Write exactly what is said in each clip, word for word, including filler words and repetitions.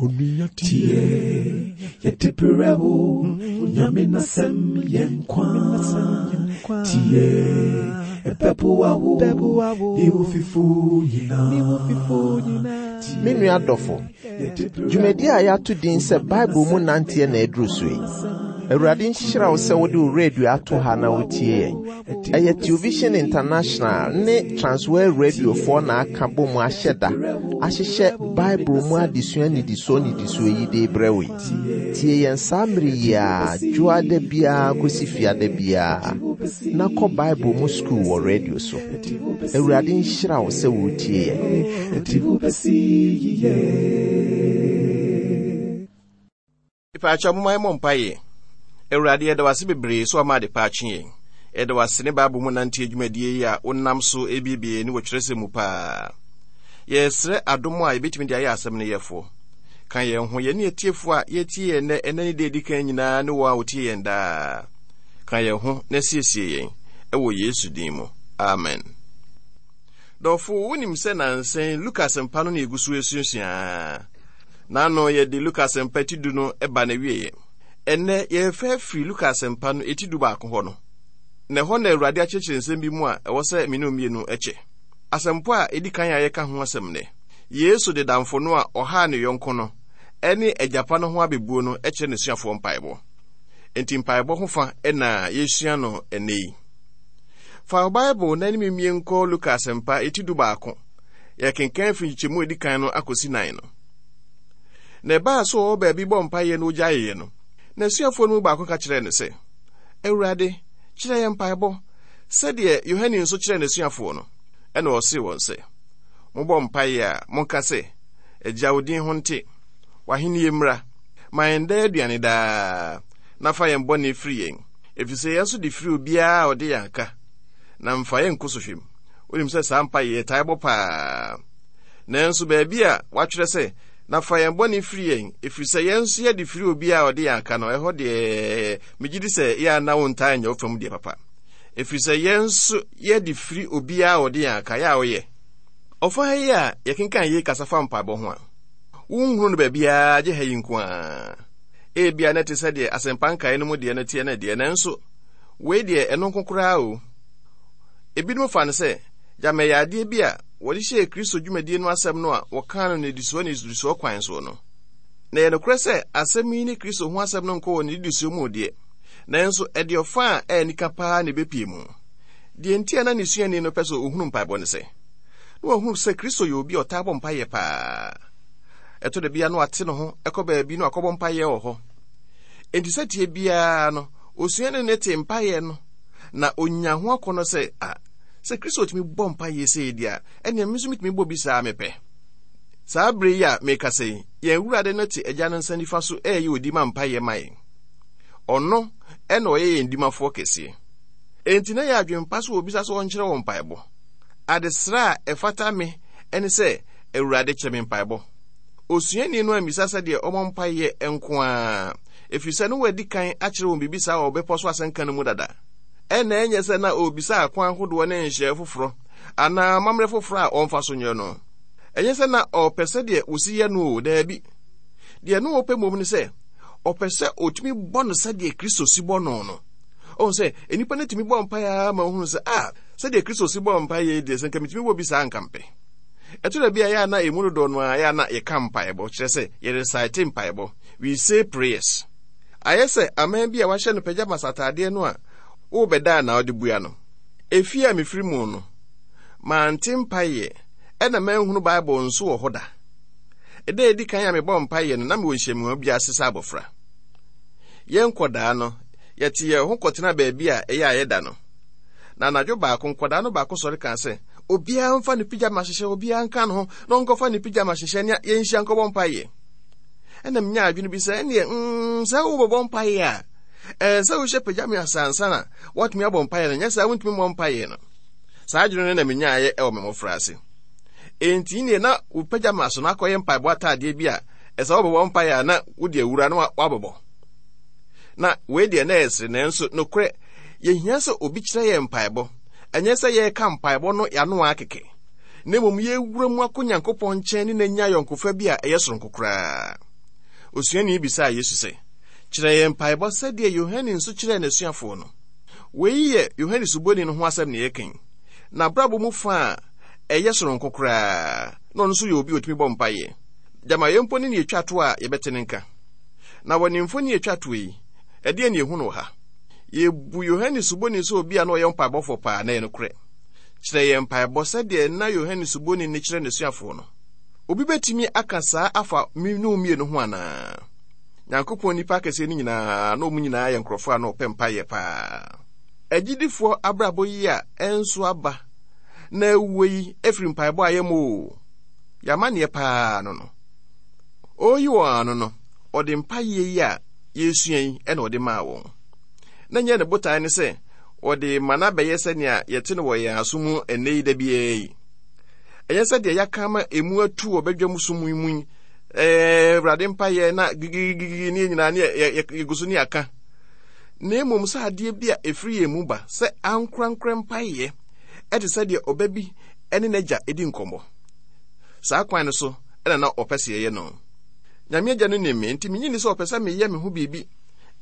Onua tie, yɛde brɛ wo, Nyame n'asɛm yɛ nkwa. Tie, ɛbɛboa wo, ne wo fifo nyinaa. Me nua dɔfo, dwumadi a yɛato din sɛ Bible mu nanteɛ na aduru so yi. Awurade nhyira wo sɛ wode wo radio ato ha na wotie yɛn. Ɛyɛ Television International ne Transworld Radiofoɔ na aka bɔ mu ahyɛ da ahyehyɛ Bible mu adesua nnidisoɔ nnidisoɔ yi de brɛ wo yi. Tie yɛn saa mmere yi a dwoada biara kɔsi fiada biara na kɔ Bible mu sukuu wɔ radio so. Awurade nhyira wo sɛ wotie yɛn. Ɛde wo bɛsi yiye. Ipaakyɛ moma yɛmmɔ mpaeɛ. Awurade, yɛda wo ase bebree so ama ade pa akye yɛn. Yɛda wo ase ne Bible mu nante adwumadie yi a wonam so ebiebie ne wɔ kyerɛsɛm mu paa. Yɛsrɛ adom a yɛbɛtumi de ayɛ asɛm no yɛfoɔ. Ka yɛn ho, yɛne atiefoɔ a yɛtie yɛn nnɛ, ɛnnɛ ne da edi kan nyinaa ne wɔn a wɔtie yɛn daa. Ka yɛn ho na siesie yɛn ɛwɔ Yesu din mu. Amen. Dɔfo, wonim sɛ nansɛn Luka asɛmpa no na yɛgu so asuasua. N'ano yɛde Luka asɛmpa ti du no ba na wieɛ. Ɛnnɛ yɛrefa afiri Luka asɛmpa no eti du baako hɔ no. Na ɛhɔ na Awurade akyerɛkyerɛ nsɛm bi mu a ɛwɔ sɛ me ne mmienu kyɛ. Asɛmpo a edi kan a yɛka ho asɛm nnɛ. Yesu de damfo no a ɔhaa ne yɔnko no ɛne agyapa no ho abebuo no kyerɛ n'asuafoɔ mpaebɔ. Enti mpaebɔ ho fa na yɛsua no ɛnnɛ yi. Fa wo Bible na anim mmie nkɔ Luka asɛmpa eti du baako. Yɛkenkan firi nkyekyɛmu a edi kan no akɔsi nan no. Na ɛbaa so ɔwɔ baabi bɔ mpaeɛ no ogyaeɛ no, n'asuafoɔ no mu baako ka kyerɛɛ no sɛ, Awurade, kyerɛ yɛn mpaebɔ, sɛdeɛ Yohane nso kyerɛɛ n'asuafoɔ no. Ɛna ɔsee wɔn sɛ, mobɔ mpaeɛ a, monka sɛ, Agya, wo din ho nte, w'ahennie mmra, ma yɛn daa aduane daa, na fa yɛn bɔne firi yɛn, ɛfiri sɛ yɛn nso de firi obiara a ɔde yɛn aka, na mfa yɛn nkɔ sɔhwɛ mu. Wonim sɛ saa mpaeɛ yɛtae bɔ paa. Nanso baabi a wɔatwerɛ sɛ, na fa yɛn bɔne firi yɛn, ɛfiri sɛ yɛn nso yɛde firi obiara a ɔde yɛn aka no, ɛhɔ deɛ megye di sɛ yɛ a na wontaa nyɛ wo fam deɛ papa. Ɛfiri sɛ yɛn nso yɛde firi obiara a ɔde yɛn aka, yɛ a woyɛ. Ɔfa ha yi a yɛkenkan yei kasa fa mpaebɔ ho a, wonhunu no baabiara gye ha yi nko ara. Ebia na ɛte sɛ deɛ asɛmpa nkae no mu deɛ no teɛ no deɛ, nanso wei deɛ ɛno nko koraa o. Ebinom fa no sɛ gyama ɛyɛ adeɛ bi a wɔde hyɛɛ Kristo dwumadie no asɛm no a wɔkaa no nnidisoɔ nnidisoɔ kwan soɔ no. Na ɛyɛ nokorɛ sɛ asɛm yi ne Kristo ho asɛm no nkɔ wɔ nnidisoɔ mu deɛ, nanso ɛde ɔfa a ɛyɛ nika paa na ɛbɛpie mu. Deɛ nti a na ne suani no pɛ sɛ ɔhunu mpaebɔ ne sɛ, na wahunu sɛ Kristo yɛ obi a ɔtaa bɔ mpaeɛ paa. Ɛtɔ da bi a na wate ne ho kɔ baabi na wakɔbɔ mpaeɛ wɔ hɔ. Enti sɛ tie biara no, osuani no te mpaeɛ no, na onya ho akɔnnɔ sɛ, a, sɛ Kristo tumi bɔ mpaeɛ sei deɛ a, ɛnneɛ me nso metumi bɔ bi saa mepɛ. Saa bere yi a mekasa yi, yɛn Awurade no te Agya no nsa nifa so ɛreyɛ odi ma mpaeɛ ma yɛn. Ɔno ɛna ɔyɛ yɛn dimafoɔ kɛseɛ. Enti na yɛ adwempa so obisa sɛ ɔnkyerɛ wɔn mpaebɔ. Adesrɛ a ɛfata me ɛne sɛ, Awurade kyerɛ me mpaebɔ. Osuani no ammisa sɛdeɛ ɔmmɔ mpaeɛ nko ara, ɛfiri sɛ no wadi kan akyerɛ wɔn biribi saa wɔ bepɔ so asɛnka no mu dada. Ɛna ɛnyɛ sɛ na ɔrebisa akwan ahodoɔ ne nhyɛɛ foforɔ anaa amammerɛ foforɔ a ɔmfa so nyɛ no. Ɛnyɛ sɛ na ɔpɛ sɛdeɛ wɔsi yɛ no o, daabi. Deɛ na ɔpɛ mmom ne sɛ, ɔpɛ sɛ ɔtumi bɔ no sɛdeɛ Kristo si bɔ no no. Ɔhu sɛ nnipa no tumi bɔ mpaeɛ ara ma ɔhunu sɛ, a, sɛdeɛ Kristo si bɔ mpaeɛ yi deɛ, sɛ nka metumi bɔ bi saa nka mpɛ. Ɛtɔ da bi a yɛ a na emu dodoɔ no ara yɛ a na yɛka mpaebɔ, kyerɛ sɛ yɛrecite mpaebɔ. We say prayers. Ayɛ sɛ aman bi a wahyɛ no pajamas ataadeɛ no a wobɛda a na wode bua no. Efie a mefiri mu no, mante mpaeɛ ɛna manhunu Bible nso wɔ hɔ da. Ɛda a edi kan a mebɔ mpaeɛ no, na mewɔ nhyiamu bi ase sɛ abɔfra. Yɛn nkɔdaa no, yɛte yɛn ho kɔtena baabi a ɛyɛ a yɛda no. Na anadwo baako, nkɔdaa no baako sɔre kaa sɛ, obiara mfa ne pyjama hyehyɛ, obiara nka ne ho, na ɔnkɔfa ne pyjama hyehyɛ ne yɛnhyia nkɔbɔ mpaeɛ. Ɛna menya adwene bi sɛ, ɛneɛ, mm, sɛ wobɛbɔ mpaeɛ a, ɛɛ sɛ wohyɛ pyjama asansa na woatumi abɔ mpaeɛ no, nyɛ saa wontumi mmɔ mpaeɛ no. Saa adwene no na menyaeɛ ɛwɔ me mmɔfra ase. Enti neɛ na wo pyjama so no akɔyɛ mpaebɔ ataadeɛ bi a ɛsɛ wobɛbɔ mpaeɛ a na wode awura na woabɛbɔ. Na wei deɛ na ɛsere, nanso nokorɛ, yɛhia sɛ obi kyerɛ yɛn mpaebɔ. Ɛnyɛ sɛ yɛreka mpaebɔ no yɛano ara kɛkɛ, na mmom yɛwura mu akɔ Nyankopɔn nkyɛn ne n'anya ayɔnkofa bi a ɛyɛ soronko koraa. Osuani bisaa Yesu sɛ, kyerɛ yɛn mpaebɔ sɛdeɛ Yohane nso kyerɛɛ n'asuafoɔ no. Wei yɛ Yohane Suboni no ho asɛm ne yɛka yi. N'abrabɔ mu fa a ɛyɛ soronko koraa, na ɔno nso yɛ obi a otumi bɔ mpaeɛ. Gyama yɛn mpo ne ne yɛtwa to a yɛbɛte ne nka. Na wɔ ne mfoni yɛtwa to yi, ɛdeɛ ne yɛhu no wɔ ha. Yɛbu Yohane Suboni sɛ obi a na ɔyɛ mpaebɔfoɔ paa, na ɛyɛ nokorɛ. Kyerɛ yɛn mpaebɔ sɛdeɛ na Yohane Suboni ne kyerɛ n'asuafoɔ no. Obi bɛtumi aka saa afa mmienu mmienu ho anaa? Nyankopɔn nipa akɛseɛ no nyinaa, na ɔmu nyinaa yɛ nkurɔfoɔ a na ɔpɛ mpaeɛ paa. Agyidifoɔ abrabɔ yi a ɛnso aba na awuo yi efiri mpaebɔ a yɛmmɔ o. Yɛamanneɛ paa no no. Ɔreyi wɔn ano no, ɔde mpaeɛ yi a yɛresua yi ɛna ɔde maa wɔn. Na nyɛ ne botae ne sɛ ɔde ma no abɛyɛ sɛnea yɛte no wɔ yɛn aso mu ɛnnɛ yi da biara yi. Ɛnyɛ sɛdeɛ yɛaka ama emu atu wɔ badwam som mu yi, ɛɛ Awurade mpaeɛ na gigigigi ne nyinaa ne yɛgu so ne yɛaka. Na mmom sɛ adeɛ bi a ɛfiri yɛn mu ba sɛ ankorankora mpaeɛ ɛte sɛdeɛ ɔba bi ne n'agya di nkɔmmɔ. Saa kwan no so ɛna na ɔpɛ sɛ yɛyɛ no. Nyame agya no nim me, nti menyi ni sɛ ɔpɛ sɛ meyɛ me ho biribi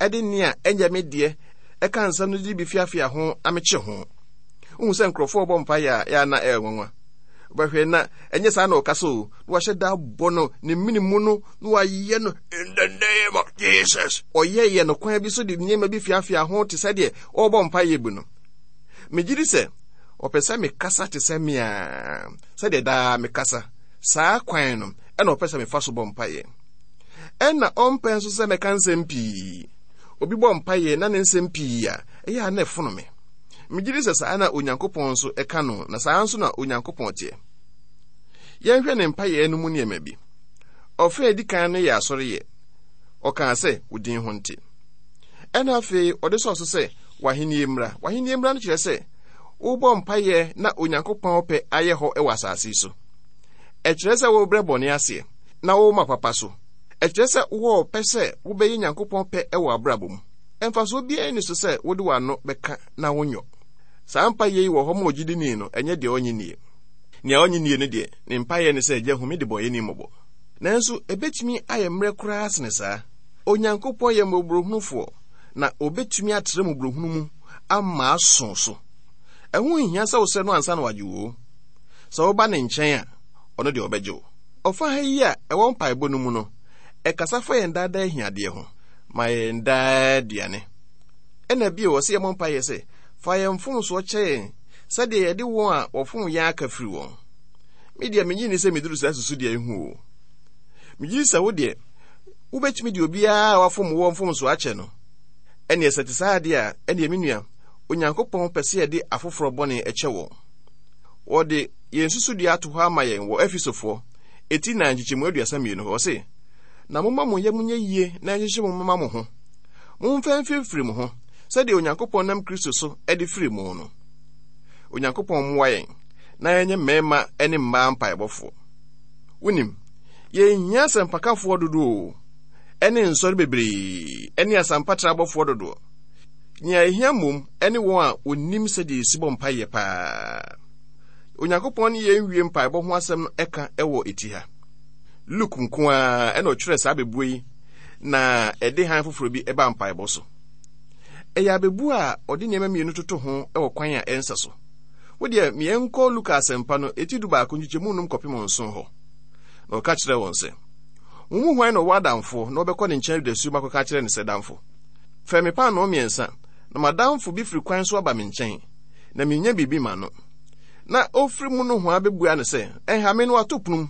ɛde nea ɛnyɛ me deɛ ɛka nsɛm no de bi fiafia ho na mekye ho. Wohu sɛ nkurɔfoɔ bɔ mpaeɛ a ɛyɛ na ɛyɛ nwanwa. Wobɛhwɛ na ɛnyɛ saa na ɔkasa o, na wahyɛ da abɔ no ne mene mu no na wayɛ no in the name of Jesus. Ɔyɛyɛ no kwan bi so de nneɛma bi fiafia ho te sɛ deɛ ɔrebɔ mpaeɛ bi no. Megye di sɛ ɔpɛ sɛ mekasa te sɛ me a, sɛdeɛ daa mekasa. Saa kwan no ɛna ɔpɛ sɛ mefa so bɔ mpaeɛ. Ɛna ɔmpɛ nso sɛ mɛka nsɛm pii. Obi bɔ mpaeɛ na ne nsɛm pii a, ɛyɛ a na ɛfono me. Megye di sɛ saa na Onyankopɔn nso ɛka no, na saa nso na Onyankopɔn teɛ. Yɛnhwɛ ne mpaeɛ no mu nneɛma bi. Ɔfa a edi kan no yɛ asɔreyɛ. Ɔkaa sɛ, wo din ho nte. Ɛna afei ɔde sɔɔ so sɛ, w'ahennie mmra. W'ahennie mmra no kyerɛ sɛ, wobɔ mpaeɛ na Onyankopɔn pɛ ayɛ hɔ wɔ asase yi so. Ɛkyerɛ sɛ wobrɛ bɔne aseɛ na woma papa so. Ɛkyerɛ sɛ wowɔ pɛ sɛ wobɛyɛ Nyankopɔn pɛ wɔ abrabɔ mu. Ɛmfasoɔ biara nni so sɛ wode w'ano bɛka na wonyɔ. Saa mpaeɛ yi wɔ hɔ ma ogyidini no, ɛnyɛ deɛ ɔnye nie. Nea ɔnye nie no deɛ, ne mpaeɛ ne sɛ, Agya, hu me de bɔnyɛni mmɔbɔ. Nanso, ɛbɛtumi ayɛ mmerɛ koraa sene saa. Onyankopɔn yɛ mmɔborɔhunufoɔ, na obɛtumi atrɛ mmɔborɔhunu mu ama aso so. Ɛho nhia sɛ wosrɛ no ansa na wagye wo. Sɛ woba ne nkyɛn a, ɔno deɛ ɔbɛgye wo. Ɔfa ha yi a ɛwɔ mpaebɔ no mu no, ɛkasa fa yɛn daadaa ahiadeɛ ho. Ma yɛn daa aduane. Ɛna bio, ɔsɛ yɛmmɔ mpaeɛ sɛ, fa yɛn mfomsoɔ kyɛ yɛn sɛdeɛ yɛde wɔn a wɔfom yɛn aka firi wɔn. Me deɛ, menyi ni sɛ meduru saa susudeɛ yi ho o. Megye di sɛ wo deɛ, wobɛtumi de obiara a wafom wɔ mfomsoɔ akyɛ no. Ɛneɛ sɛ te saa adeɛ a, ɛneɛ me nua, Onyankopɔn pɛ sɛ yɛde afoforɔ bɔne kyɛ wɔn. Wɔde yɛn susudua ato hɔ ama yɛn wɔ Efesofoɔ eti nan nkyekyɛmu aduasa mmienu hɔ. Ɔse, na momma mo yam nyɛ yie na ɛnhyehye mo mma mo ho. Momfa mfirifiri mo ho sɛdeɛ Onyankopɔn nam Kristo so de firi mo no. Onyankopɔn mmoa yɛn na yɛnyɛ mmarima ne mmaa mpaebɔfoɔ. Wonim, yɛnhia asɛmpakafoɔ dodoɔ o, ɛne nsɔre bebree ne asɛmpatrɛ abɔfoɔ dodoɔ. Nea ɛhia mmom ne wɔn a wɔnim sɛdeɛ yɛsi bɔ mpaeɛ paa. Onyankopɔn ne yɛn wie mpaebɔ ho asɛm no ɛka ɛwɔ eti ha. Luke nko ara ɛna ɔtwerɛ saa abɛbuo yi na ɛde han foforɔ bi ɛba mpaebɔ so. Ɛyɛ abɛbuo a ɔde nneɛma mmienu toto ho ɛwɔ kwan a ɛnsɛ so. Wo deɛ, yɛnkɔ Luka asɛmpa no eti du baako nkyekyɛmu num kɔpem nson hɔ. Na ɔka kyerɛ wɔn sɛ, mo mu hwan na ɔwɔ adamfoɔ na ɔbɛkɔ ne nkyɛn dasuo mu akɔka kyerɛ ne sɛ, damfo, fɛ me paanoo mmiɛnsa, na m'adamfo bi firi kwan so aba me nkyɛn, na minnya biribi ma no. Na ofiri mu nohoa bɛbua no sɛ, ɛnha me no ato pono mu,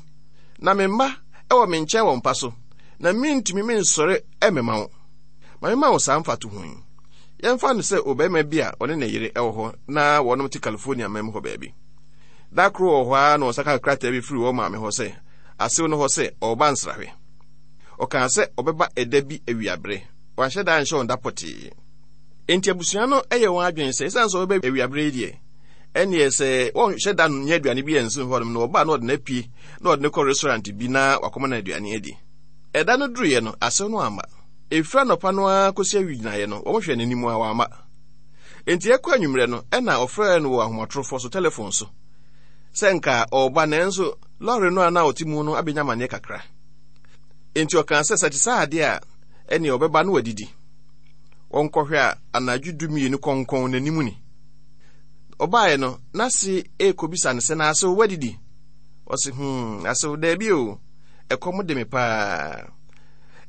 na me mma wɔ me nkyɛn wɔ mpa so, na mintumi mensɔre mmɛma wo. Ma memma wo saa mfatoho yi. Yɛmfa no sɛ ɔbarima bi a ɔne ne yere wɔ hɔ na wɔnom te California man mu hɔ baabi. Da koro wɔ hɔ ara na ɔsa ka krataa bi firi wɔn maame hɔ sɛ, asew no hɔ sɛ ɔreba nsrahwɛ. Ɔkaa sɛ ɔbɛba ɛda bi awiabere. Wanhyɛ da anhyɛ wɔn da pɔtee. Enti abusua no yɛ wɔn adwene sɛ esiane sɛ ɔbɛba awiabere yi deɛ, ɛnneɛ sɛ wɔnhyɛ da nyɛ aduane bi ansi hɔnom na ɔba na ɔde no apue na ɔde no kɔ restaurant bi na wakɔma no aduane adi. Ɛda no duruiɛ no, asew no amma. Ɛfiri anɔpa no ara kɔsi awigyinaeɛ no, wɔhwɛ n'anim a wamma. Enti ɛkɔ anwummerɛ no, ɛna ɔfrɛɛ no wɔ ahomatorofoɔ so, telefon so, sɛ nka ɔreba nanso lɔre no a na ɔte mu no abɛnya amanneɛ kakra. Enti ɔkaa sɛ sɛ te saa adeɛ a, ɛneɛ ɔbɛba na wadidi. Wɔnkɔhwɛ a anadwo dumienu kɔnkɔn n'anim ni. Ɔbaeɛ no, n'ase rekɔbisa no sɛ, na asew wadidi? Ɔse, hmm, asew daabi o, ɛkɔm de me paa.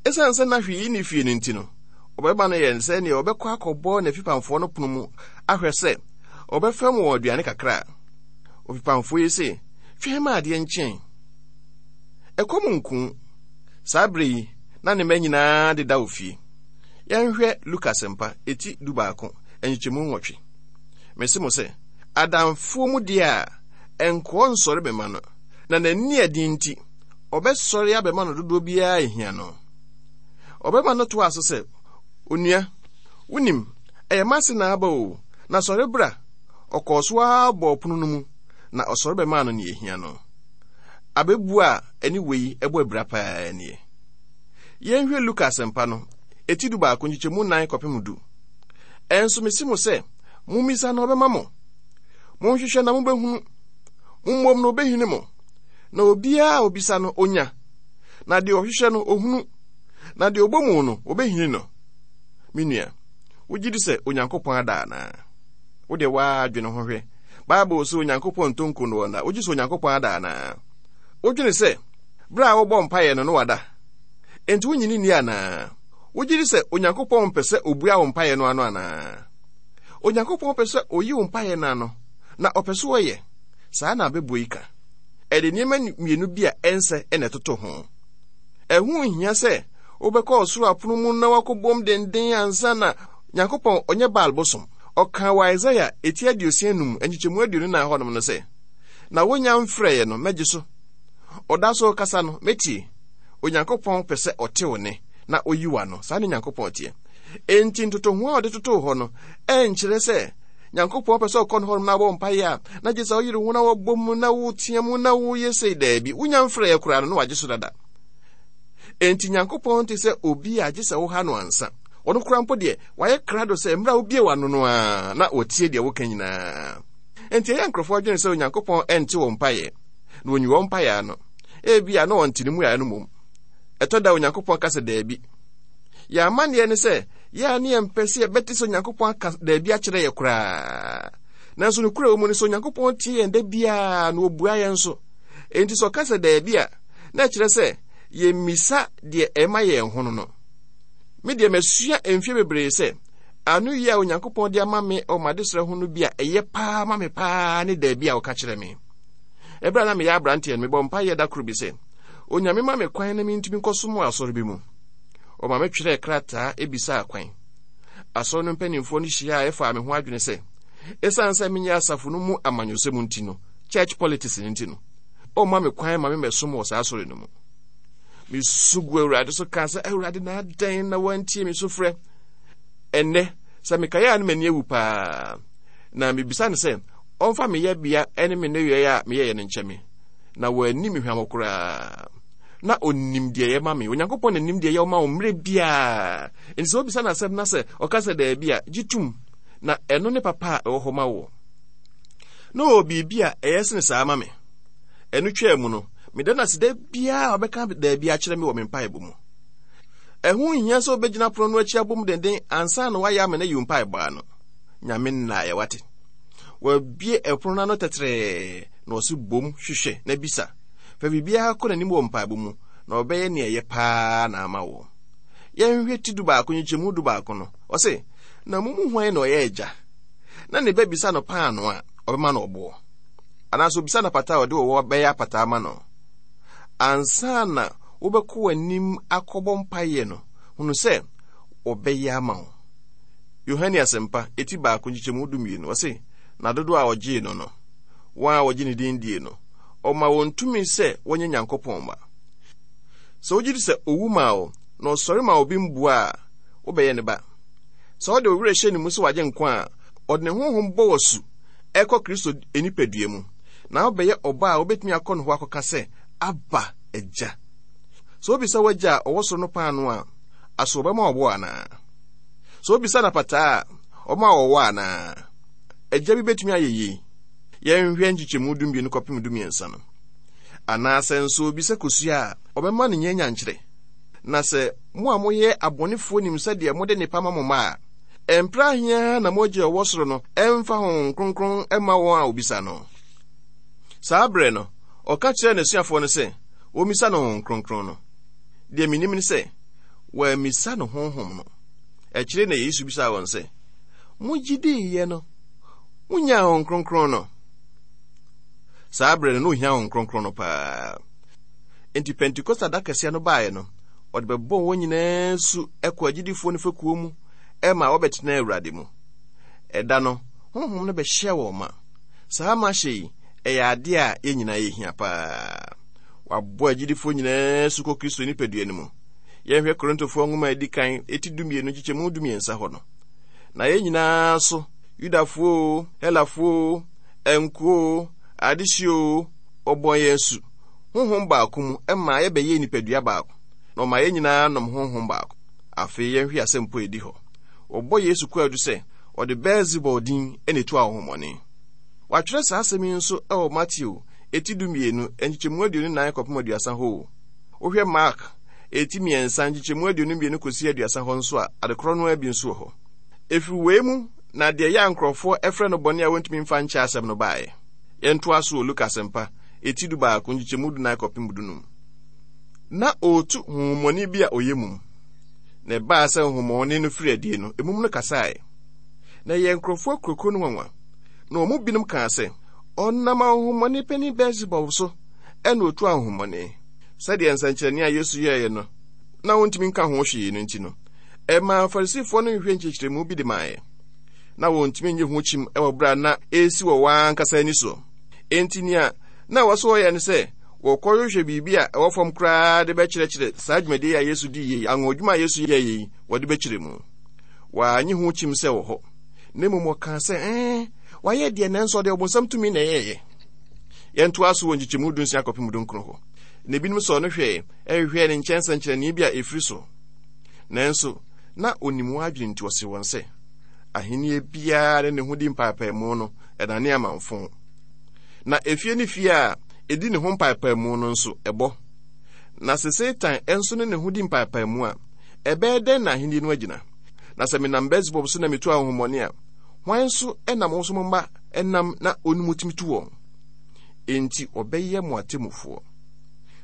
Ɛsiane sɛ na hwee nni fie no nti no, ɔbarima no yɛɛ no sɛ nea ɔbɛkɔ akɔbɔ n'afipamfoɔ no pono mu ahwɛ sɛ ɔbɛfɛm wɔn aduane kakra a. Ofipamfoɔ yi se, twɛn ma adeɛ nkyɛn. Ɛkɔm nku. Saa bere yi, na ne mma nyinaa deda wɔ fie. Yɛnhwɛ Luka Asɛmpa, eti dubaako, nkyekyɛmu nwɔtwe. Mese mo sɛ, adamfoɔ mu deɛ a, ɛnkoɔ nsɔre bɛma no, na n'ani ɛden nti, ɔbɛsɔre abɛma no dodoɔ biara ehia no. Ɔbɛma no toa so sɛ, onua, wonim, ɛyɛ m'ase na aba o, na sɔre bra. Ɔkɔɔ so ara bɔɔ pono no mu, na ɔsɔre bɛmaa no nea ehia no. Abɛbu a ɛne wei ɛbɔ abira paa nie. Yɛnhwɛ Luka Asɛmpa no, eti du baako nkyekyɛmu nnan kɔpem du. Ɛnso mese mo sɛ, mommisa na ɔbɛma mo. Monhwehwɛ na mobɛhunu. Mommom na obɛhini mo. Na obiara a obisa no, onya. Na deɛ ɔhwehwɛ no, ohunu. Na deɛ ɔbɔ mu no, obɛhini no. Me nua, wogye di sɛ Onyankopɔn ada anaa? Wo deɛ waa dwene ho hwɛ. Bible sɛ Onyankopɔn ntɔ nko no ɔnda. Wogye sɛ Onyankopɔn ada anaa? Wodwene sɛ, bere a wobɔ mpaeɛ no, no wada. Enti wonyini nni anaa? Wogye di sɛ Onyankopɔn mpɛ sɛ obua wo mpaeɛ no ano anaa? Onyankopɔn pɛ sɛ oyi wo mpaeɛ no ano, na ɔpɛ sɛ ɔyɛ. Saa na abɛbuo yi ka. Ɛde nneɛma mmienu bi a ɛnsɛ na ɛtoto ho. Ɛho nhia sɛ wobɛkɔ ɔsoro apono mu na wakɔbom denden ansa na Nyankopɔn ɔnyɛ Baal bosom. Ɔkaa wɔ Isaia eti aduosia num nkyekyɛmu aduonu nan hɔnom no sɛ, na wonya mfrɛeɛ no, mɛgye so. Ɔda so kasa no, mɛtie. Onyankopɔn pɛ sɛ ɔte wo ne na oyi w'ano. Saa ne Nyankopɔn teɛ. Enti ntotoho a ɔde totoo hɔ no, ɛnkyerɛ sɛ Nyankopɔn pɛ sɛ ɔkɔ no hɔnom na abɔ mpaeɛ a, na gye sɛ ɔyere ho na wɔbɔ mu na woteɛ mu na woyɛ sei. Daabi, wonya mfrɛeɛ koraa no na wagye so dada. Enti Nyankopɔn te sɛ obi a gye sɛ woha no ansa. Ɔno koraa mpo deɛ, wayɛ krado sɛ mmerɛ a wobie w'ano no a, na wɔtie deɛ woka nyinaa. Enti ɛyɛ nkurɔfoɔ adwene sɛ Onyankopɔn ɛnte wɔn mpaeɛ, na wɔnyi wɔn mpaeɛ ano. Ebia na wɔnte ne mmuaeɛ no mmom. Ɛtɔ da Onyankopɔn ka sɛ daabi. Yɛn amanneɛ ne sɛ, yɛn a ne yɛmpɛ sɛ yɛbɛte sɛ Onyankopɔn aka daabi akyerɛ yɛ koraa. Nanso nokorɛ wɔ mu ne sɛ Onyankopɔn tie yɛn da biara na ɔbua yɛn nso. Enti sɛ ɔka sɛ daabi a, na ɛkyerɛ sɛ yɛmmisa deɛ ɛma yɛn ho no no. Me deɛ masua mfeɛ bebree sɛ ano yi a Onyankopɔn de ama me wɔ m'adesrɛ ho no bi a ɛyɛ paa ma me paa ne daabi a ɔka kyerɛ me. Ɛberɛ a na meyɛ aberanteɛ no, mebɔ mpaeɛ da koro bi sɛ, Onyame ma me kwan na mentumi nkɔsom wɔ asɔre bi mu. Ɔma me twerɛɛ krataa ebisaa kwan. Asɔre no mpanimfoɔ no hyiaa ɛfaa me ho adwene sɛ, ɛsiane sɛ menyɛ asafo no mu amanyɔsɛm nti no, church politics no nti no, ɔmma me kwan ma memmɛsom wɔ saa asɔre no mu. Mesu gu Awurade so kaa sɛ, Awurade, na adɛn na woantie me sufrɛ? Ɛnnɛ, sɛ mekaeɛ a na m'ani awu paa. Na mebisa no sɛ, ɔmfa me yɛbea ne me nneyɔeɛ a meyɛeɛ no nkyɛ me. Na wanni me hwammɔ koraa. Na ɔnim deɛ ɛyɛ ma me. Onyankopɔn na nim deɛ ɛyɛ ma wo mmerɛ biara. Enti sɛ wobisa no asɛm na sɛ ɔka sɛ daabi a, gye tom. Na ɛno ne papa a ɛwɔ hɔ ma wo. Na ɔwɔ biribi a ɛyɛ sene saa ma me. Ɛno twaa mu no, meda no ase da biara a ɔbɛka daabi akyerɛ me wɔ me mpaebɔ mu. Ɛho nhia sɛ wobɛgyina pono no akyi abom denden ansa na woayɛ ama no ayi wo mpaebɔ ano. Nyame nnaeɛ, wate. Wabue ɛpono no ano tɛtrɛɛ na ɔse bom hwehwɛ na bisa. Fa biribiara kɔ n'anim wɔ mpaebɔ mu na ɔbɛyɛ nea ɛyɛ paa na ama wo. Yɛnhwɛ ti du baako nkyekyɛmu du baako no. Ɔse, na mo mu hwan na ɔyɛ agya na ne ba bisa no paano a, ɔbɛma no ɔboɔ? Anaasɛ obisa no apata a, ɔde ɔwɔ bɛyɛ apata ama no? Ansa na wobɛkɔ w'anim akɔbɔ mpaeɛ no, hunu sɛ ɔbɛyɛ ama wo. Yohane Asɛmpa, eti baako nkyekyɛmu du mmienu, ɔse, na dodoɔ a ɔgyee no no, wɔn a wɔgye ne din die no, ɔma wɔn tumi sɛ wɔnyɛ Nyankopɔn mma. Sɛ wogye di sɛ owu maa wo na ɔsɔre maa obi mbua a, wobɛyɛ ne ba. Sɛ wode wo werɛ hyɛ ne mu sɛ wagye nkwa a, ɔde ne honhom bɔ wo asu ɛkɔ Kristo nipadua mu, na wobɛyɛ ɔba a wobɛtumi akɔ ne hɔ akɔka sɛ, Abba, Agya. Sɛ wobisa w'agya a ɔwɔ soro no paano a, aso ɔbɛma ɔbo anaa? Sɛ wobisa no apataa a, ɔbɛma ɔwɔ anaa? Agya bi bɛtumi ayɛ yei. Yɛnhwɛ nkyekyɛmu dumienu kɔpem dumiɛnsa no. Anaasɛ nso obisa kosua a, ɔbɛma no nyanyankyerɛ? Na sɛ mo a moyɛ abɔnefoɔ nim sɛdeɛ mode nnepa ma mo mma a, ɛmpra ahia na mo Agya a ɔwɔ soro no ɛmfa Honhom Kronkron mma wɔn a wɔbisa no. Saa berɛ no, ɔka kyerɛɛ n'asuafoɔ no sɛ wɔmmisa no Honhom Kronkron no. Deɛ menim ne sɛ, wɔammisa no Honhom no. Akyire na Yesu bisaa wɔn sɛ, Mogye diiɛ no, monyaa Honhom Kronkron no? Saa berɛ no, na ohia Honhom Kronkron no paa. Enti Pentekosta da kɛseɛ no baeɛ no, ɔde bɛbɔɔ wɔn nyinaa su kɔ agyidifoɔ no fekuo mu ma wɔbɛtena Awurade mu. Ɛda no, Honhom no bɛhyɛɛ wɔn ma. Saa mahyɛ yi, ɛyɛ adeɛ a yɛn nyinaa yɛhia paa. Wabɔ agyidifoɔ nyinaa su kɔ Kristo nipadua no mu. Yɛnhwɛ Korintofoɔ nwoma a ɛdi kan eti dumienu nkyekyɛmu dumiɛnsa hɔ no. Na yɛn nyinaa so, Yudafoɔ o, Helafoɔ o, nkoa o, adehyeɛ o, wɔbɔɔ yɛn asu honhom baako mu ma yɛbɛyɛɛ nipadua baako, na ɔma yɛn nyinaa nom honhom baako. Afei yɛnhwɛ asɛmpo a ɛdi hɔ. Wɔbɔ Yesu kwaadu sɛ ɔde Beelsebul din na etu ahonhommɔne. Wɔatwerɛ saa asɛm yi nso wɔ Mateo eti dumienu nkyekyɛmu aduonu nan kɔpem aduasa hɔ o. Wohwɛ Mark eti mmiɛnsa nkyekyɛmu aduonu mmienu kɔsi aduasa hɔ nso a, adekorɔ no ara bi nso wɔ hɔ. Ɛfiri wei mu na deɛ ɛyɛ a nkurɔfoɔ frɛ no bɔne a wɔntumi mfa nkyɛ asɛm no baeɛ. Yɛntoa so wɔ Luka Asɛmpa eti dubaako nkyekyɛmu dunan kɔpem dunum. Na ɔretu honhommɔne bi a ɔyɛ mum. Na ɛbaa sɛ honhommɔne no firi adie no, emum no kasaeɛ. Na ɛyɛɛ nkurɔfoɔ akuakuo no nwanwa. Na wɔn mu binom kaa sɛ, Ɔnam ahonhommɔne panin Beelsebub so na ɔtu ahonhommɔne. Sɛdeɛ nsɛnkyerɛnne a Yesu yɛeɛ no na wɔntumi nka ho hwee no nti no, ɛmaa Farisifoɔ no hwehwɛɛ nkyerɛkyerɛmu bi de maeɛ. Na wɔntumi nnye ho kyim wɔ berɛ a na ɛresi wɔ wɔn ankasa ani soɔ. Enti nea na ɛwɔ sɛ wɔyɛ ne sɛ wɔkɔhwehwɛ biribi a ɛwɔ fam koraa de bɛkyerɛkyerɛ saa dwumadie a Yesu dii yei, anwonwadwuma a Yesu yɛeɛ yi, wɔde bɛkyerɛ mu. Wɔannye ho kyim sɛ wɔ hɔ, na mmom wɔkaa sɛ, ɛɛ, wayɛ deɛ nanso ɔde ɔbonsam tumi na ɛyɛeɛ. Yɛntoa so wɔ nkyekyɛmu dunsia kɔpem dunkron hɔ. Na ebinom sɔɔ no hwɛe, hwehwɛɛ ne nkyɛn nsɛnkyerɛnne bi a ɛfiri so. Nanso, na onim wɔn adwene nti ɔsee wɔn sɛ, Ahenni biara ne ne ho di mpaapaemu no, ɛdane amamfõ. Na efie ne fie a edi ne ho mpaapaemu no nso, ɛbɔ. Na sɛ Satan nso ne ne ho di mpaapaemu a, ɛbɛyɛ dɛn na ahenni no agyina? Na sɛ menam Beelsebub so na mitu ahonhommɔne a, hwan nso na mo nso mo mma nam na ɔne mo tumi tu wɔn? Enti wɔbɛyɛ mo atemmufoɔ.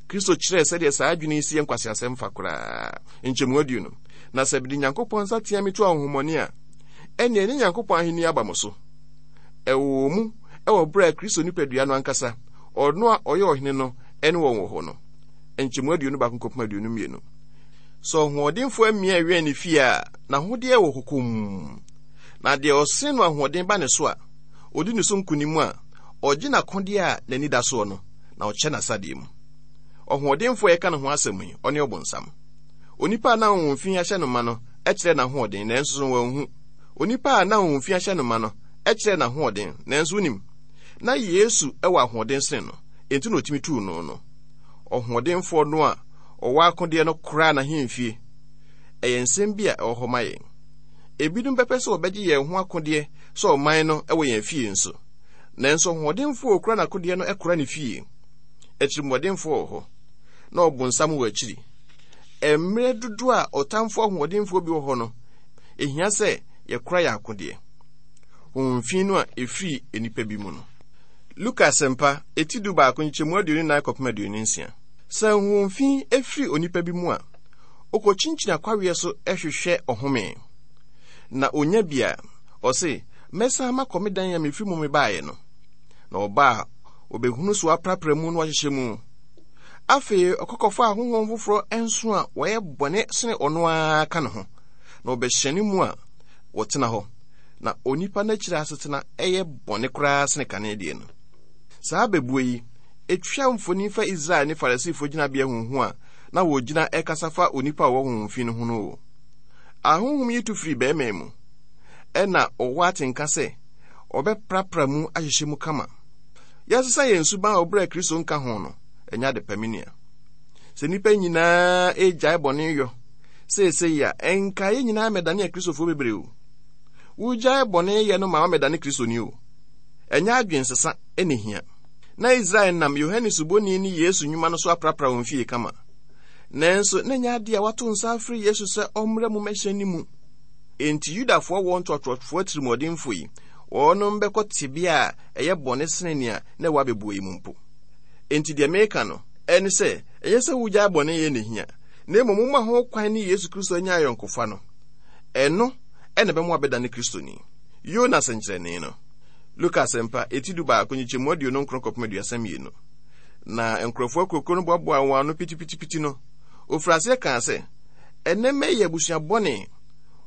Kristo kyerɛɛ sɛdeɛ saa adwene yi si yɛ nkwaseasɛm fa koraa. Nkyɛmu aduonu. Na sɛ mede Nyankopɔn nsateaa metu ahonhommɔne a, ɛnneɛ ne Nyankopɔn ahenni aba mo so. Ɛwɔ mu wɔ berɛ a Kristo nipadua no ankasa, ɔno a ɔyɛ ɔhene no, ne wɔn wɔ hɔ no. Nkyɛmu aduonu baako kɔpem aduonu mmienu. Sɛ ɔhoɔdenfoɔ amia wɛn ne fie a, n'ahodeɛ wɔ hɔ komm. Na deɛ ɔsen no ahoɔden ba ne so a, ɔdi ne so nkonim a, ɔgye n'akodeɛ a n'ani da soɔ no, na ɔkyɛ n'asadeɛ mu. Ɔhoɔdenfoɔ a yɛka ne ho asɛm yi, ɔne ɔbonsam. Onipa a na honhom fi ahyɛ no ma no kyerɛɛ n'ahoɔden, nanso so wanhu? Onipa a na honhom fi ahyɛ no ma no kyerɛɛ n'ahoɔden, nanso wonim? Na Yesu wɔ ahoɔden sene no, enti na otumi tuu no no. Ɔhoɔdenfoɔ no a ɔwɔ akodeɛ no koraa n'ahemfie. Ɛyɛ nsɛm bi a ɛwɔ hɔ ma yɛn. Ebinom bɛpɛ sɛ wɔbɛgye yɛn ho akodeɛ sɛ ɔman no wɔ yɛn fie nso. Nanso ɔhoɔdenfoɔ a okura n'akodeɛ no kora ne fie. Atirimuɔdenfoɔ wɔ hɔ, na ɔbonsam wɔ akyiri. Mmerɛ dodoɔ a ɔtamfo ahoɔdenfoɔ bi wɔ hɔ no, ehia sɛ yɛkora yɛn akodeɛ. Honhom fi no a ɛfiri nnipa bi mu no. Luka Asɛmpa, eti du baako nkyɛmu aduonu nan kɔpem aduonu nsia. Sɛ honhom fi firi onipa bi mu a, ɔkɔkyinkyini akwaweɛ so hwehwɛ ɔhome. Na ɔnya bi a, ɔse, Mɛsan makɔ me dan a mefiri mu mebaeɛ no. Na ɔba a, ɔbɛhunu so aprapra mu na wahyehyɛ mu. Afei ɔkɔ kɔfa ahonhom foforɔ nson a wɔyɛ bɔne sene ɔno ara ka ne ho, na wɔbɛhyɛne mu a wɔtena hɔ. Na onipa no akyiri asetena yɛ bɔne koraa sene kane deɛ no. Saa abɛbuo yi, ɛtwa mfoni fa Israel ne Farisifoɔ gyinabea huhu a na wɔgyina ɛkasa fa onipa a ɔwɔ honhom fi no ho no o. Ahonhom yi tu firi bɛrima mu, ɛna ɔwɔ atenka sɛ ɔbɛprapra mu ahyehyɛ mu kama. Yɛasesa yɛn suban a ɔbrɛ Kristo nka ho no, ɛnyɛ ade pa, me nua. Sɛ nnipa nyinaa regyae bɔne yɔ seesei a, ɛnka yɛn nyinaa mmɛdane Akristofoɔ bebree o. Wogyae bɔne yɛ no ma wamɛdane Kristoni o. Ɛnyɛ adwensesa na ehia. Na Israel nam Yohane Suboni ne Yesu nnwuma no so aprapra wɔn fie kama. Nanso na ɛnyɛ ade a wɔato nsa afrɛ Yesu sɛ ɔmmra mu mmɛhyɛn ne mu. Enti Yudafoɔ wɔ ntoatoasoɔ atirimuɔdenfoɔ yi, wɔnom bɛkɔ tebea a ɛyɛ bɔne sene nea na ɛwɔ abɛbuo yi mu mpo. Enti deɛ meka no, ɛne sɛ, ɛnyɛ sɛ wogyae bɔne yɛ na ehia, na mmom woma ho kwan ne Yesu Kristo anya ayɔnkofa no. Ɛno ɛna ɛbɛma wabɛdane Kristoni. Yona sɛnkyerɛnne no. Luka Asɛmpa, eti du baako, nkyekyɛmu aduonu nkron kɔpem aduasa mmienu. Na nkurɔfoɔ akurokuo no boaboaa wɔn ano pitipitipiti no, ofiri aseɛ kaa sɛ, Ɛnnɛ mma yi yɛ abusua bɔne.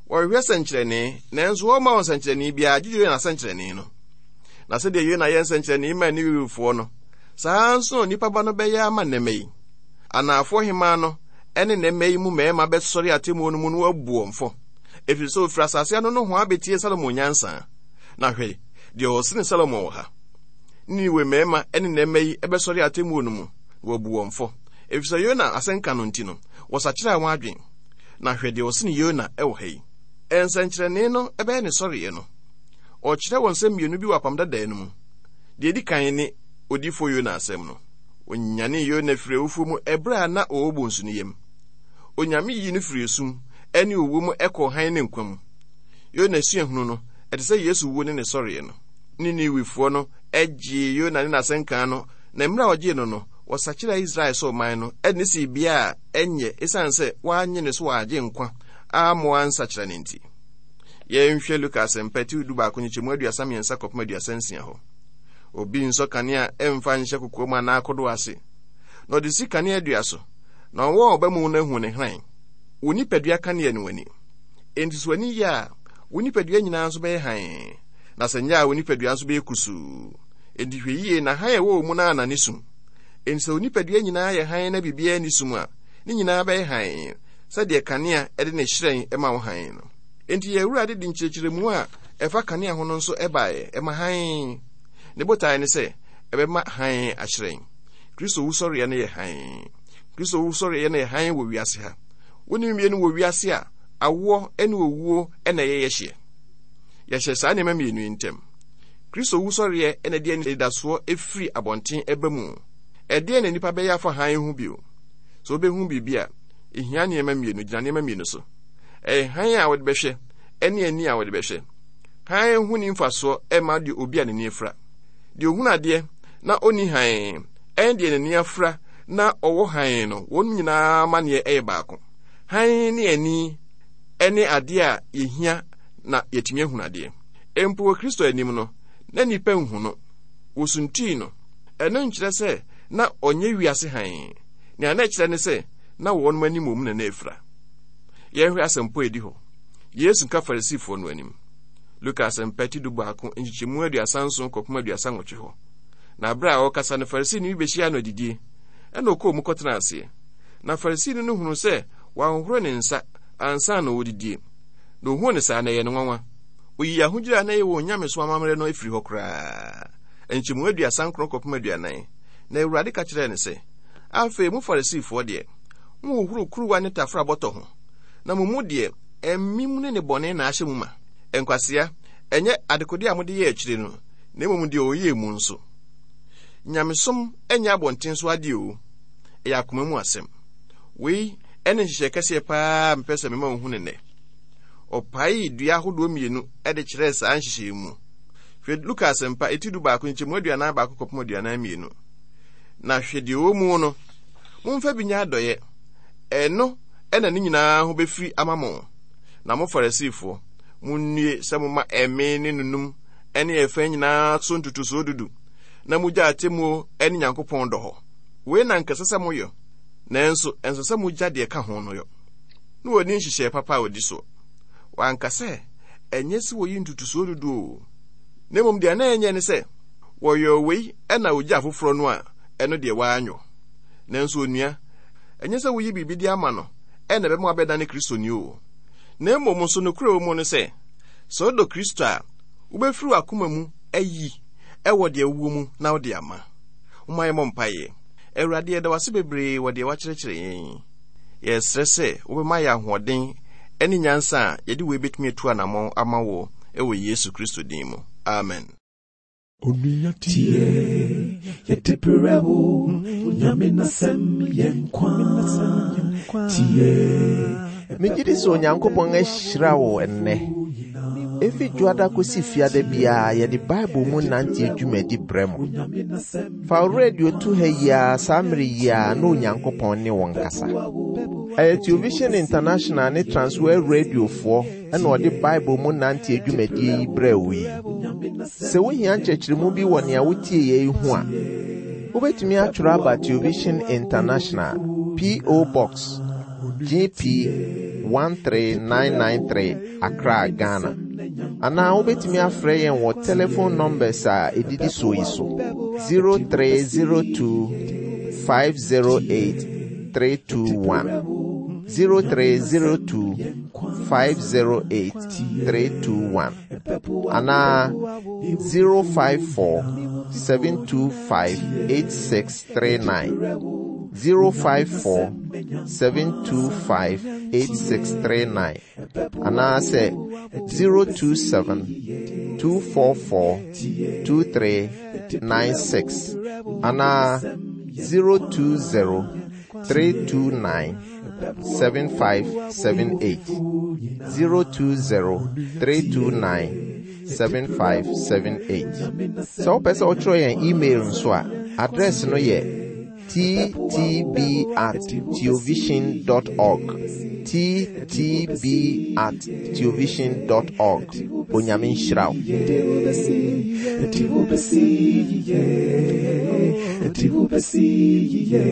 Wɔhwehwɛ sɛnkyerɛnne, nanso wɔmma wɔn sɛnkyerɛnne biara gye Yona sɛnkyerɛnne no. Na sɛdeɛ Yona yɛ nsɛnkyerɛnne maa Ninewefoɔ no, saa ara nso na onipa ba no bɛyɛ ama nnɛmma yi. Anaafoɔ hemmaa no ne nnɛmma yi mu mmarima bɛsɔre atemmuo no mu na wɔabu wɔn fɔ, ɛfiri sɛ wɔfiri asase ano nohoa bɛtie Salomo nyansa. Na hwɛ, deɛ ɔsene Salomo wɔ ha. Niniwe mmarima ne nnɛmma yi bɛsɔre atemmuo no mu na wɔabu wɔn fɔ, ɛfiri sɛ Yona asɛnka no nti no, wɔsakyeraa wɔn adwene. Na hwɛ deɛ ɔsene Yona wɔ ha yi. Nsɛnkyerɛnne no bɛyɛ ne sɔreɛ no. Ɔkyerɛ wɔn nsɛm mmienu bi wɔ Apam Dadaa no mu. Deɛ ɛdi kan ne odiyifoɔ Yona asɛm no. Ɔnyanee Yona firii awufoɔ mu ɛberɛ a na ɔwɔ bonsu no yam. Onyame yii no firii esum ne owuo mu kɔɔ hann ne nkwa mu. Yona suahunu no, ɛte sɛ Yesu wuo ne ne sɔreɛ no. Niniwefoɔ no gyee Yona ne n'asɛnka no, na mmerɛ a wɔgyee no no, wɔsakyeraa Israel sɛ ɔman no de no sii bea a ɛnyɛ esiane sɛ wɔannye ne so wɔ Agyenkwa amma wɔansakyera no nti. Yɛnhwɛ Luka Asɛmpa ti du baako nkyekyɛmu aduasa mmiɛnsa kɔpem aduasa nsia hɔ. Obi nsɔ kanea mfa nhyɛ kokoam anaa kodoɔ ase, na ɔde si kanea dua so, na wɔn a wɔba mu no ahu ne hran. Wo nipadua kanea ne w'ani. Enti sɛ w'ani yɛ a, wo nipadua nyinaa nso bɛyɛ hann, na sɛ nyɛ a, wo nipadua nso bɛyɛ kusuu. Enti hwɛ yie na hann a ɛwɔ wo mu no annane sum. Enti sɛ wo nipadua nyinaa yɛ hann na biribiara nni sum a, ne nyinaa bɛyɛ hann, sɛdeɛ kanea de ne hyerɛn ma wo hann no. Enti yɛn Awurade de nkyerɛkyerɛmu a ɛfa kanea ho no nso baeɛ, ɛma hann. Ne botae ne sɛ ɛbɛma hann ahyerɛn. Kristo wusɔreɛ no yɛ hann. Kristo wusɔreɛ no yɛ hann wɔ wiase ha. Wo ne mmienu wɔ wiase a awoɔ ne owuo na ɛyɛ yɛhyeɛ. Yɛhyɛ saa nneɛma mmienu yi ntam. Kristo wusɔreɛ na ɛde anidasoɔ firi abɔnten ɛba mu. Ɛdeɛn na nnipa bɛyɛ afa hann ho bio? Sɛ wobɛhu biribi a, ɛhia nneɛma mmienu, gyina nneɛma mmienu so. Ɛyɛ hann a wode bɛhwɛ ne ani a wode bɛhwɛ. Hann ho ni mfasoɔ ɛma deɛ obi a n'ani afira. Deɛ ohunu adeɛ na ɔnni hann ɛne deɛ n'ani afira na ɔwɔ hann no, wɔn nyinaa amanneɛ ɛyɛ baako. Hann ne ani ɛne adeɛ a yɛhia na yɛatumi ahunu adeɛ. Mpo wɔ Kristo anim no, na nnipa nhu no. Wɔsuntii no. Ɛno nkyerɛ sɛ na ɔnyɛ wiase hann. Nea na ɛkyerɛ ne sɛ na wɔn anim wɔ mu na na afira. Yɛnhwɛ asɛmpɔ a edi hɔ. Yesu ka Farisifoɔ no anim. Luka Asɛmpa ti du baako nkyekyɛmu aduasa nson kɔpem aduasa nwɔtwe hɔ. Na berɛ a ɔrekasa no, Farisini bi bɛhyiaa no adidie. Ɛna ɔkɔɔ mu kɔtenaa aseɛ. Na Farisini no hunuu sɛ wanhohoro ne nsa ansa na ɔredidie. Na ɔhuu no saa na ɛyɛ no nwanwa. Ɔyii ahodwira a na ɛyɛ wɔn nyamesom amammerɛ no firii hɔ koraa. Nkyɛmu aduasa nkron kɔpem aduanan. Na Awurade ka kyerɛɛ no sɛ, Afei mo Farisifoɔ deɛ, mohohoro kuruwa ne tafra bɔtɔ ho, na mo mu deɛ, amim ne nnebɔne na ahyɛ mu ma. Nkwasea, ɛnyɛ adekodeɛ a mode yɛ akyire no, na mmom deɛ ɔyɛɛ mu nso. Nyamesom nyɛ abɔnten so adeɛ o, ɛyɛ akoma mu asɛm. Wei ne nhyehyɛe kɛseɛ paa a mepɛ sɛ mema wohu no nnɛ. Ɔpaee dua ahodoɔ mmienu de kyerɛɛ saa nhyehyɛe mu. Hwɛ Luka Asɛmpa, eti du baako, nkyɛmu aduanan baako kɔpem aduanan mmienu. Na hwɛ deɛ ɔwɔ mu no, momfa bi nyɛ adɔeɛ, ɛno na ne nyinaa ho bɛfiri ama mo. Na mo Farisifoɔ, monnue sɛ moma ɛme ne nunum ne ɛfã nyinaa so ntotosoɔ dudu, na mogya atemmuo ne Nyankopɔn dɔ hɔ. Wei na anka ɛsɛ sɛ moyɔ, nanso ɛnsɛ sɛ mogya deɛ ɛka ho no yɔ. Na wɔnni nhyehyɛe papa a wɔdi soɔ. Wɔanka sɛ ɛnyɛ sɛ wɔyi ntotosoɔ dudu o, na mmom deɛ na ɛnyɛ ne sɛ wɔyɔɔ wei na wɔgya afoforɔ no a, ɛno deɛ wɔanyɔ. Nanso onua, ɛnyɛ sɛ woyi biribi de ama no na ɛbɛma wabɛdane Kristoni o. Na mmom nso nokorɛ wɔ mu ne sɛ, sɛ wodɔ Kristo a, wobɛfiri w'akoma mu ayi wɔ deɛ wowɔ mu na wode ama. Momma yɛmmɔ mpaeɛ. Awurade, yɛda wo ase bebree wɔ deɛ woakyerɛkyerɛ yɛn yi. Yɛsrɛ sɛ wobɛma yɛn ahoɔden ne nyansa a yɛde wei bɛtumi atu anammɔn ama wo wɔ Yesu Kristo din mu. Amen. Onua tie, yɛde brɛ wo, Onyame n'asɛm yɛ nkwa. Tie. Megye di sɛ Onyankopɔn ahyira wo ɛnnɛ. Efi dwoada kosi fiada biara yɛde Bible mu nante dwumadi brɛ mo. Fa wo radio to ha yi ara saa mmere yi ara na Onyankopɔn ne wo nkasa. Ɛyɛ Television International ne Transworld Radiofoɔ ɛna ɔde Bible mu nante dwumadie yi brɛ wo yi. Sɛ wohia nkyerɛkyerɛmu bi wɔ nea wotie yɛ yi ho a, wobɛtumi atwerɛ aba Television International, P O. Box G P one three nine nine three, Accra, Ghana. Anaa wobɛtumi afrɛ yɛn wɔ telephone numbers a ɛdidi so yi so: zero three zero two five zero eight three two one, zero three zero two five zero eight three two one, anaa zero five four seven two five eight six three nine, zero five four seven two five eight six three nine, anaasɛ zero two seven two four four two three nine six, anaa zero two zero three two nine seven five seven eight, zero two zero three two nine seven five seven eight. Sɛ wopɛ sɛ wotwerɛ yɛn email nso a, address no yɛ T T B at theovision dot org, T T B at theovision dot org. Onyame nhyira wo. Yɛde wo bɛsi yie, yɛde wo bɛsi yie.